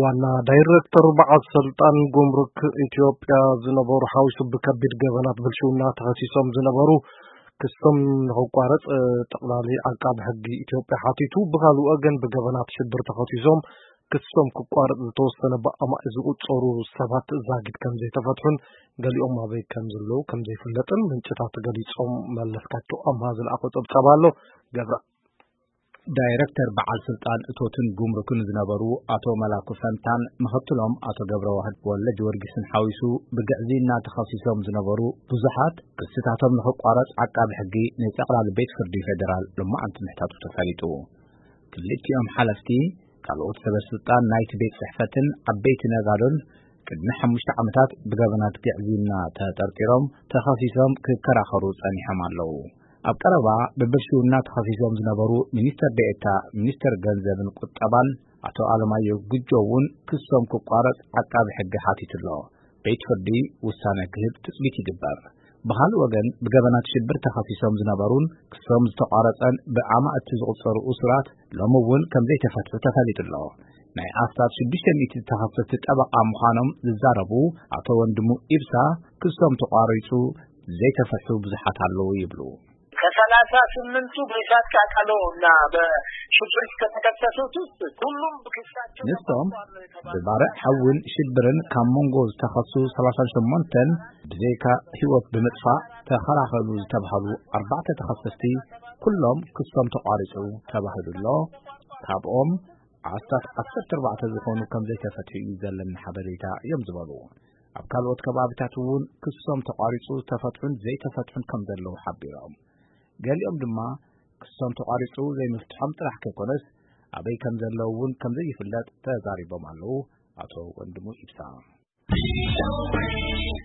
ዋና ዳይሬክተር በዓል ስልጣን ጉምሩክ ኢትዮጵያ ዝነበሩ ሓዊሱ ብከቢድ ገበናት ብልሽውና ተኸሲሶም ዝነበሩ ክሶም ንኽቋረጽ ጠቕላሊ ዓቃቢ ሕጊ ኢትዮጵያ ሓቲቱ። ብኻልእ ወገን ብገበናት ሽብር ተኸሲሶም ክሶም ክቋረጽ ዝተወሰነ ብኣማኢት ዝቑጸሩ ሰባት ዛጊድ ከም ዘይተፈትሑን ገሊኦም ኣበይ ከም ዘለዉ ከም ዘይፍለጥን ምንጭታት ገሊጾም። መለስካቸው ኣምሃ ዝለኣኾ ጸብጻብ ኣሎ። ገብረ ዳይረክተር በዓል ስልጣን እቶትን ጉምሩክን ዝነበሩ ኣቶ መላኩ ፈንታን ምኽትሎም ኣቶ ገብረ ዋህድ ወልደ ጊዮርጊስን ሓዊሱ ብግዕዝይና ተኸሲሶም ዝነበሩ ብዙሓት ክስታቶም ንኽቋረጽ ዓቃቢ ሕጊ ንጠቕላሊ ቤት ፍርዲ ፌደራል ሎማዓንቲ ምሕታቱ ተፈሊጡ። ክልቲኦም ሓለፍቲ ካልኦት ሰበ ስልጣን ናይቲ ቤት ጽሕፈትን ዓበይቲ ነጋዶን ቅድሚ ሓሙሽተ ዓመታት ብገበናት ግዕዝይና ተጠርጢሮም ተኸሲሶም ክከራኸሩ ጸኒሖም ኣለዉ። ኣብ ቀረባ ብብልሽውና ተኸሲሶም ዝነበሩ ሚኒስተር ዴኤታ ሚኒስተር ገንዘብን ቁጠባን ኣቶ ኣለማየሁ ጉጆ እውን ክሶም ክቋረጽ ዓቃቢ ሕጊ ሓቲቱ ኣሎ። ቤት ፍርዲ ውሳነ ክህብ ትጽቢት ይግበር። ብኻልእ ወገን ብገበናት ሽብር ተኸሲሶም ዝነበሩን ክሶም ዝተቋረጸን ብኣማእቲ ዝቑጸሩ እሱራት ሎሚ እውን ከም ዘይተፈትሑ ተፈሊጡ ኣሎ። ናይ ኣስታት ሽዱሽተ ሚእቲ ተኸሰስቲ ጠበቓ ምዃኖም ዝዛረቡ ኣቶ ወንድሙ ኢብሳ ክሶም ተቋሪጹ ዘይተፈትሑ ብዙሓት ኣለዉ ይብሉ። ከሰላሳ ስምንቱ በእሳት ቃጠሎ እና በሽብር ከተከሰሱት ውስጥ ሁሉም ክሳቸው ንሶም ተቋርጧል ነው የተባለው። ብባርዕ ሓውን ሽብርን ካብ መንጎ ዝተኸሱ ሰላሳ ሸሞንተን ብዘይካ ህይወት ብምጥፋእ ተኸላኸሉ ዝተባህሉ ኣርባዕተ ተኸሰስቲ ኩሎም ክሶም ተቋሪጹ ተባሂሉ ኣሎ። ካብኦም ኣስታት ዓሰርተ ኣርባዕተ ዝኾኑ ከም ዘይተፈትሑ እዩ ዘለኒ ሓበሬታ እዮም ዝበሉ። ኣብ ካልኦት ከባቢታት እውን ክሶም ተቋሪጹ ዝተፈትሑን ዘይተፈትሑን ከም ዘለዉ ሓቢሮም። ገሊኦም ድማ ክሶም ተቋሪጹ ዘይምፍትሖም ጥራሕ ከይኮነስ ኣበይ ከም ዘለዉ እውን ከም ዘይፍለጥ ተዛሪቦም ኣለዉ። ኣቶ ወንድሙ ኢብሳ።